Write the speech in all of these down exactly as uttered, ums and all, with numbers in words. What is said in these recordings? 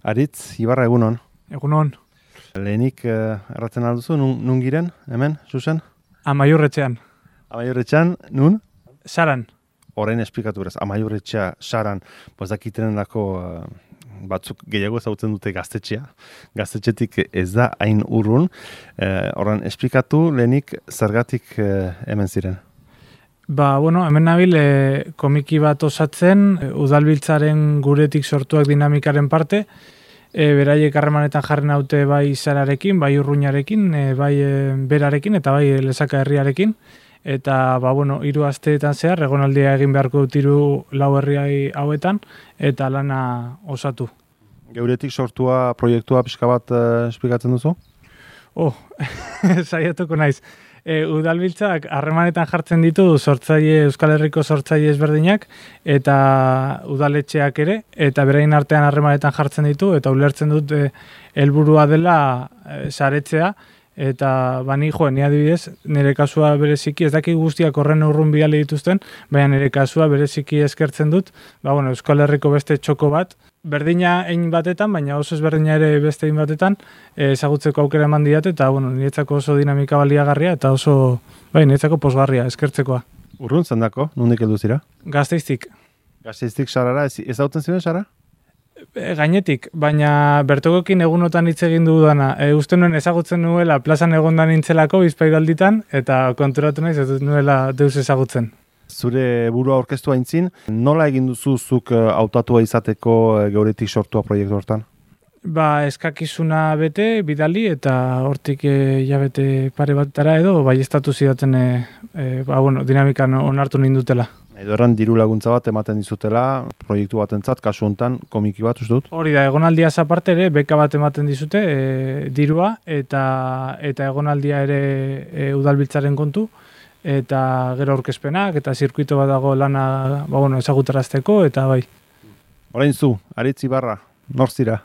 Aritz, Ibarra, egunon. Egunon. Lehenik uh, erratzen alduzu, nun, nun giren, hemen, zuzen? Amaiurretxean. Amaiurretxean, nun? Saran. Horrein esplikatu beraz, amaiurretxea, saran, bozakitenen dako uh, batzuk gehiago ezagutzen dute gaztetxea. Gaztetxetik ez da hain urrun. Horren, uh, esplikatu lehenik zergatik uh, hemen ziren? Ba, bueno, hemen nabil e, komiki bat osatzen, e, udalbiltzaren guretik sortuak dinamikaren parte, e, beraiek harremanetan jarren haute bai Sararekin, bai Urruñarekin, e, bai e, Berarekin eta bai Lesaka herriarekin. Eta, ba, bueno, hiru asteetan zehar, egonaldia egin beharko dut hiru lau herriai hauetan, eta lana osatu. Geuretik sortua proiektua pixka bat uh, esplikatzen duzu? Oh, saiatuko naiz. E, udalbiltzak harremanetan jartzen ditu sortzaile Euskal Herriko sortzaile ezberdinak eta udaletxeak ere, eta berain artean harremanetan jartzen ditu, eta ulertzen dut e, helburua dela e, saretzea, eta bani jo, ni adibidez, nire kasua bereziki, ez dakik guztiak horren urrun bidali dituzten, baina nire kasua bereziki eskertzen dut, ba, bueno, Euskal Herriko beste txoko bat, berdina ein batetan, baina oso ezberdina ere beste ein batetan, ezagutzeko aukera eman diate, eta bueno, niretzako oso dinamika baliagarria, eta oso, bai, niretzako posgarria, eskertzekoa. Urrun zendako, nondik heldu zira? Gazteiztik. Gazteiztik Sarara, ez, ez dauten ziren Sara? E, gainetik, baina bertokokin egunotan hitz egin dudana. E, uste nuen ezagutzen nuela plazan egondan nintzelako bizpairalditan, eta konturatu naiz ez nuela deus ezagutzen. Zure burua aurkeztu aintzin, nola egin duzu zuk hautatua izateko geuretik sortua proiektu hortan? Ba, eskakizuna bete, bidali, eta hortik hilabete pare batara edo, bai estatu zidaten e, e, ba, bueno, dinamikan onartu nindutela. Edo erran diru laguntza bat ematen dizutela, proiektu batentzat, kasu hontan komiki bat, uste dut? Hori da, egonaldia aparte ere, beka bat ematen dizute, e, dirua, eta, eta egonaldia ere e, udalbiltzaren kontu, eta gero aurkezpenak, eta zirkuito bat dago lana ba, bueno, ezagutarazteko, eta bai. Orain zu, Aritz Ibarra, nor zira?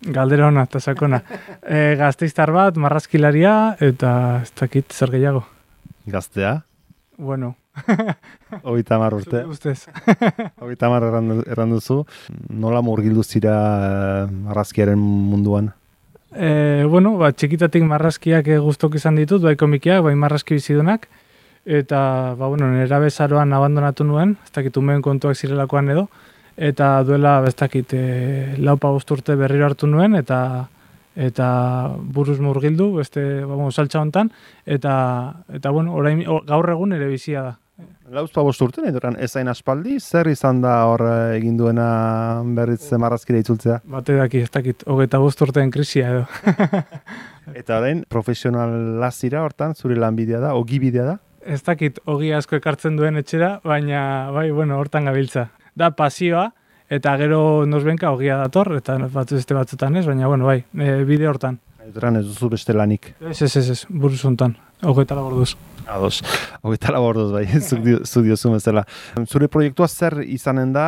Galdera ona eta sakona. E, gazteiztar bat, marrazkilaria, eta ez dakit zer gehiago. Gaztea? Bueno. Hogeita hamar urte. Ustez. Hogeita hamar erran duzu. Nola murgildu zira marrazkiaren munduan? E, bueno, ba, txikitatik marrazkiak guztok izan ditut, bai komikiak, bai marrazki bizidunak, eta ba, bueno, nera bezaroan abandonatu nuen, ez dakit umeen kontuak zirelakoan edo, eta duela, ez dakit, e, laupa urte berriro hartu nuen, eta eta buruz murgildu, beste, ba, bueno, saltza hontan, eta, eta bueno, orain, gaur egun ere bizia da. Lauzpa bost urte, nahi duran, ezain aspaldi, zer izan da hor egin duena berriz marrazkira itzultzea? Bate daki, ez dakit, hogeita bost urteen krisia edo. Eta orain, profesionala zira hortan, zure lanbidea da, ogibidea da? Ez dakit, ogi asko ekartzen duen etxera, baina, bai, bueno, hortan gabiltza. Da pasioa, eta gero nosbenka ogia dator, eta batzu este batzutan ez, baina, bueno, bai, e, bide hortan. Nahi ez duzu beste lanik? Ez, ez, ez, ez, buruz hontan, hogeita laborduz. Ados, hogeita laborduz, bai, zuk diozu bezala. Zure proiektua zer izanen da?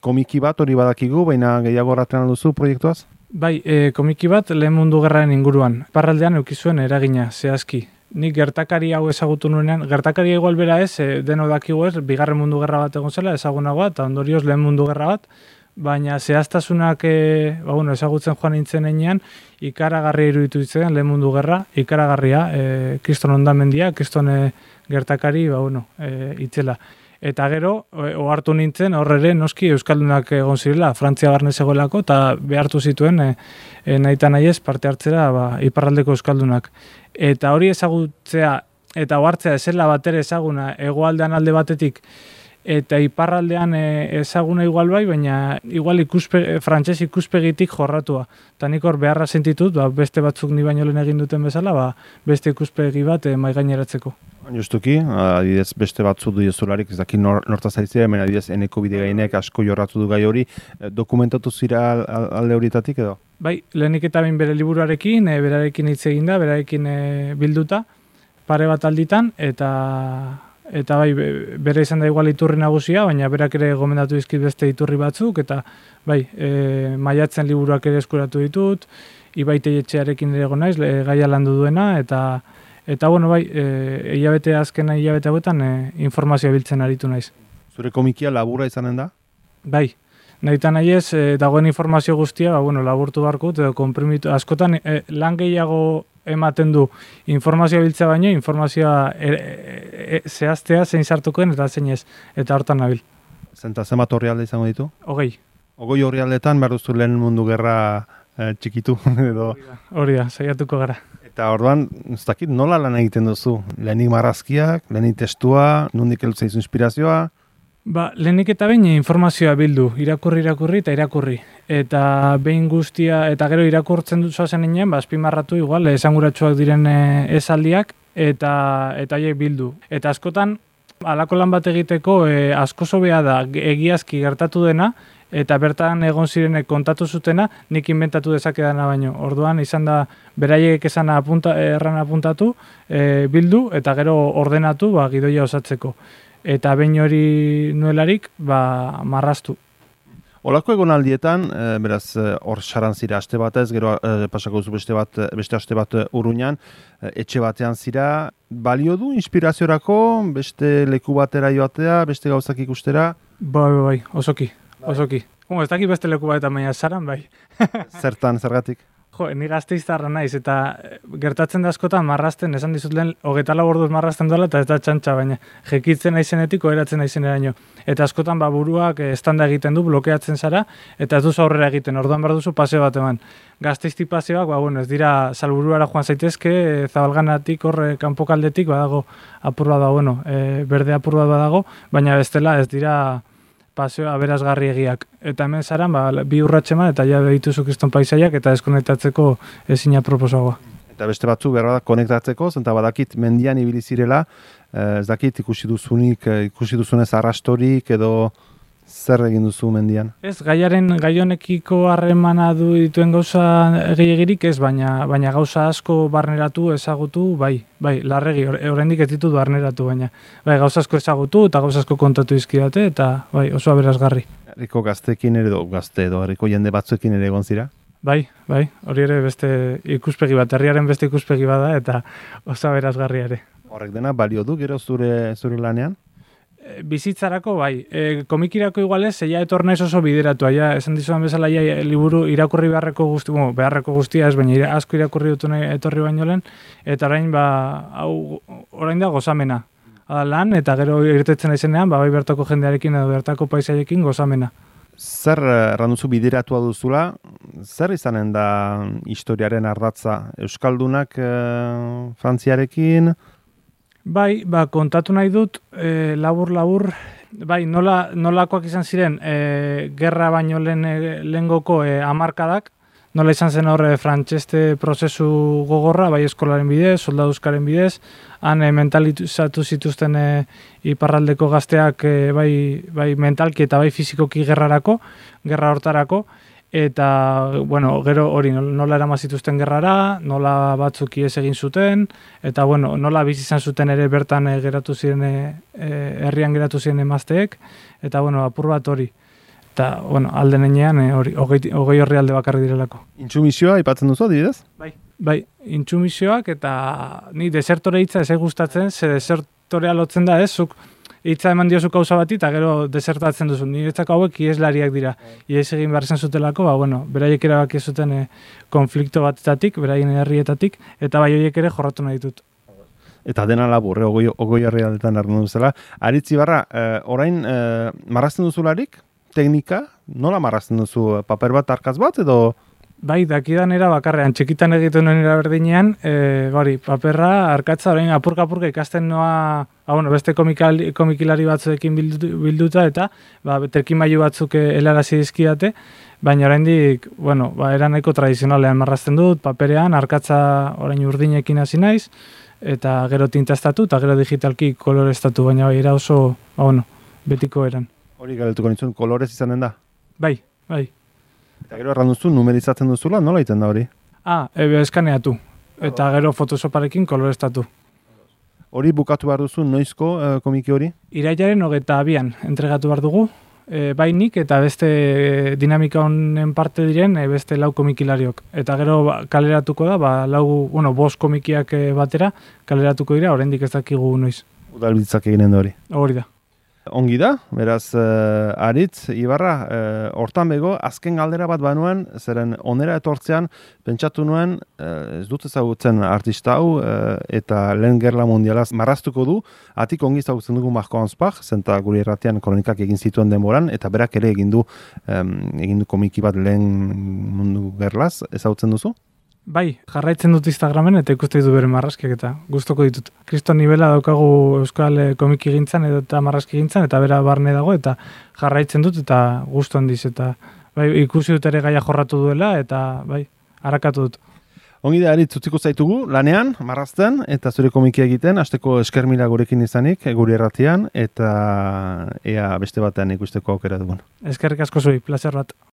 Komiki bat hori badakigu, baina gehiago horretan alduzu proiektuaz? Bai, e, komiki bat lehen mundu gerraren inguruan. Parraldean eukizuen eragina, zehazki. Nik gertakari hau ezagutu nuenean, gertakari igual bera ez, e, deno dakigu ez, bigarren mundu gerra bat egon zela, ezagunagoa, eta ondorioz lehen mundu gerra bat, baina zehaztasunak e, ba, bueno, ezagutzen joan nintzen enean, ikaragarria iruditu ditzen lehen mundu gerra, ikaragarria, e, kriston ondamendia, kriston e, gertakari, ba, bueno, e, itzela. Eta gero, ohartu nintzen, horre ere, noski Euskaldunak egon zirela, Frantzia barne zegoelako, eta behartu zituen, e, e, nahita nahiez, parte hartzera, ba, iparraldeko Euskaldunak. Eta hori ezagutzea, eta ohartzea esela batera ezaguna, hegoaldean alde batetik, eta iparraldean ezaguna igual bai, baina igual ikuspe, frantses ikuspegitik jorratua. Eta nik hor beharra sentitut, ba, beste batzuk ni baino lehen egin duten bezala, ba, beste ikuspegi bat e, maigaineratzeko. Justuki, adidez beste batzu du jezularik, ez daki nor, nortaz aritzea, hemen adidez eneko bidegainek asko jorratu du gai hori, dokumentatu zira alde horietatik edo? Bai, lehenik eta bain bere liburuarekin, e, berarekin hitz egin da, berarekin e, bilduta, pare bat alditan, eta eta bai, bere izan da igual iturri nagusia, baina berak ere gomendatu dizkit beste iturri batzuk, eta bai, e, maiatzen liburuak ere eskuratu ditut, Ibaite etxearekin ere egon naiz, e, gaia landu duena, eta Eta, bueno, bai, e, hilabete azkena hilabete hauetan e, informazioa biltzen aritu naiz. Zure komikia laburra izanen da? Bai, Nahita nahi ez, e, dagoen informazio guztia, ba, bueno, laburtu barkut, edo komprimitu, askotan e, lan gehiago ematen du informazioa biltzea baino, informazioa e, e, e, zehaztea zein sartukoen eta zein ez, eta hortan nabil. Zenta zenbat orrialde izango ditu? Hogei. Hogei orrialdetan behar duzu lehen mundu gerra e, txikitu edo... Hori da, saiatuko gara. Eta orduan, ez dakit, nola lan egiten duzu? Lehenik marrazkiak, lehenik testua, nondik heltzen izu inspirazioa? Ba, lehenik eta behin informazioa bildu, irakurri, irakurri eta irakurri. Eta behin guztia, eta gero irakurtzen dut zen inean, ba, azpimarratu igual, esanguratsuak diren esaldiak, eta eta haiek bildu. Eta askotan, halako lan bat egiteko, e, asko sobea da, egiazki gertatu dena, eta bertan egon zirenek kontatu zutena, nik inventatu dezakedana baino. Orduan, izan da, beraiek esan apunta, erran apuntatu, e, bildu, eta gero ordenatu, ba, gidoia osatzeko. Eta behin hori nuelarik, ba, marraztu. Olako egonaldietan, e, beraz, hor e, saran zira aste batez, gero e, pasako duzu beste bat, beste aste bat Urruñan, e, etxe batean zira, balio du inspiraziorako, beste leku batera joatea, beste gauzak ikustera? Bai, bai, bai, osoki, osoki. Bueno, ez dakit beste leku batean baina saran, bai. Zertan, zergatik? Jo, ni Gasteiztarra naiz, eta gertatzen da askotan marrazten, esan dizut lehen, hogeita lau orduz marrazten dola, eta ez da txantxa, baina jekitzen naizenetik, oheratzen naizeneraino. Eta askotan ba, buruak estanda egiten du, blokeatzen zara, eta ez duzu aurrera egiten, orduan behar duzu paseo bat eman. Gasteizti paseoak, ba, bueno, ez dira salburuara joan zaitezke, zabalganatik, horre, kanpokaldetik, badago apur bat da, bueno, e, berde apur bat badago, baina bestela ez dira paseo aberasgarri egiak. Eta hemen zaran, ba, bi urratxeman, eta ja behituzu kriston paisaiak, eta deskonektatzeko ezina proposagoa. Eta beste batzu behar da konektatzeko, zenta badakit mendian ibili zirela, eh, ez dakit ikusi duzunik, ikusi duzunez arrastorik, edo zer egin duzu mendian? Ez, gaiaren, gai honekiko harremana du dituen gauza gehiagirik ez, baina, baina gauza asko barneratu, ezagutu, bai, bai, larregi, oraindik ez ditut barneratu, baina bai, gauza asko ezagutu eta gauza asko kontatu izkidate, eta bai, oso aberasgarri. Herriko gazteekin ere, do, gazte edo herriko jende batzuekin ere egon zira? Bai, bai, hori ere beste ikuspegi bat, herriaren beste ikuspegi bada, eta oso aberasgarri ere. Horrek dena balio du gero zure, zure lanean? Bizitzarako, bai. E, komikirako igualez, ja etor naiz oso bideratua. Ja, esan dizuan bezala, ja, liburu irakurri beharreko guzti, bueno, beharreko guztia ez, baina asko irakurri dut nahi etorri baino lehen, eta orain, ba, hau, orain da gozamena. Ada lan, eta gero irtetzen naizenean, ba, bai bertako jendearekin edo bertako paisaiekin gozamena. Zer erranduzu bideratua duzula, zer izanen da historiaren ardatza? Euskaldunak e, Frantziarekin? Bai, ba, kontatu nahi dut, e, labur, labur, bai, nola, nolakoak izan ziren, e, gerra baino lehen lehengoko e, hamarkadak, nola izan zen horre frantxeste prozesu gogorra, bai eskolaren bidez, soldaduzkaren bidez, han e, mentalizatu zituzten e, iparraldeko gazteak e, bai, bai mentalki eta bai fizikoki gerrarako, gerra hortarako, eta, bueno, gero hori nola erama zituzten gerrara, nola batzuk ihes egin zuten, eta, bueno, nola bizi izan zuten ere bertan e, geratu ziren, e, herrian geratu ziren emazteek, eta, bueno, apur bat hori. Eta, bueno, alde nenean, e, hori, hogei, hogei horri alde bakarri direlako. Intsumisioa aipatzen duzu, adibidez? Bai, bai, intsumisioak, eta ni desertore hitza ez gustatzen, ze desertorea lotzen da ez, zuk hitza eman diozu kauza bati, eta gero desertatzen duzu. Niretzako hauek ieslariak dira. Ies egin behar zen zutelako, ba, bueno, beraiek erabaki zuten e, konflikto batetatik, beraien herrietatik, eta bai horiek ere jorratu nahi ditut. Eta dena labur, eh, ogoi, ogoi herrialdetan ardu duzela. Aritzi barra, eh, orain, eh, marrazten duzularik, teknika, nola marrazten duzu? Paper bat, arkaz bat, edo... Bai, dakidan era bakarrean, txikitan egiten nuen eraberdinean, e, bari, paperra, arkatza, orain apurka-apurka ikasten noa, ah, bueno, beste komikali, komikilari batzuekin bildu, bilduta, eta ba, terkimailu batzuk helarazi dizkidate, baina oraindik, bueno, ba, era nahiko tradizionalean marrazten dut, paperean, arkatza orain urdinekin hasi naiz, eta gero tintastatu, eta gero digitalki kolorestatu, baina bai, era oso, ba, bueno, betiko eran. Hori galdetuko nintzun, kolorez izanen da? Bai, bai. Eta gero erran duzu, numerizatzen duzula, nola egiten da hori? Ah, ebe eskaneatu. Eta gero Photoshoparekin kolorestatu. Hori bukatu behar duzu, noizko e, komiki hori? Irailaren hogeita abian entregatu behar dugu. E, bai nik eta beste dinamika honen parte diren e, beste lau komikilariok. Eta gero ba, kaleratuko da, ba, lau, bueno, bost komikiak e, batera kaleratuko dira, oraindik ez dakigu noiz. Udalbiltzak eginen da hori. Hori da. Ongi da, beraz, uh, Aritz, Ibarra, uh, hortan bego, azken galdera bat banuen, zeren onera etortzean, pentsatu nuen, uh, ez dut ezagutzen artista hau, uh, eta lehen gerla mundialaz marraztuko du, atik ongi ezagutzen dugu Marko Anspach, zenta guri erratean kronikak egin zituen denboran, eta berak ere egin du, um, egin du komiki bat lehen mundu gerlaz, ezagutzen duzu? Bai, jarraitzen dut Instagramen eta ikuste ditu bere marrazkiak eta gustoko ditut. Kriston nivela daukagu euskal komiki gintzan edo eta marrazki gintzan eta bera barne dago eta jarraitzen dut eta gustu handiz eta bai, ikusi dut ere gaia jorratu duela eta bai, harakatu dut. Ongi da, Aritz, utziko zaitugu, lanean, marrazten, eta zure komiki egiten, hasteko eskermila gurekin izanik, gure erratian, eta ea beste batean ikusteko aukera dugun. Eskerrik asko zui, plazer bat.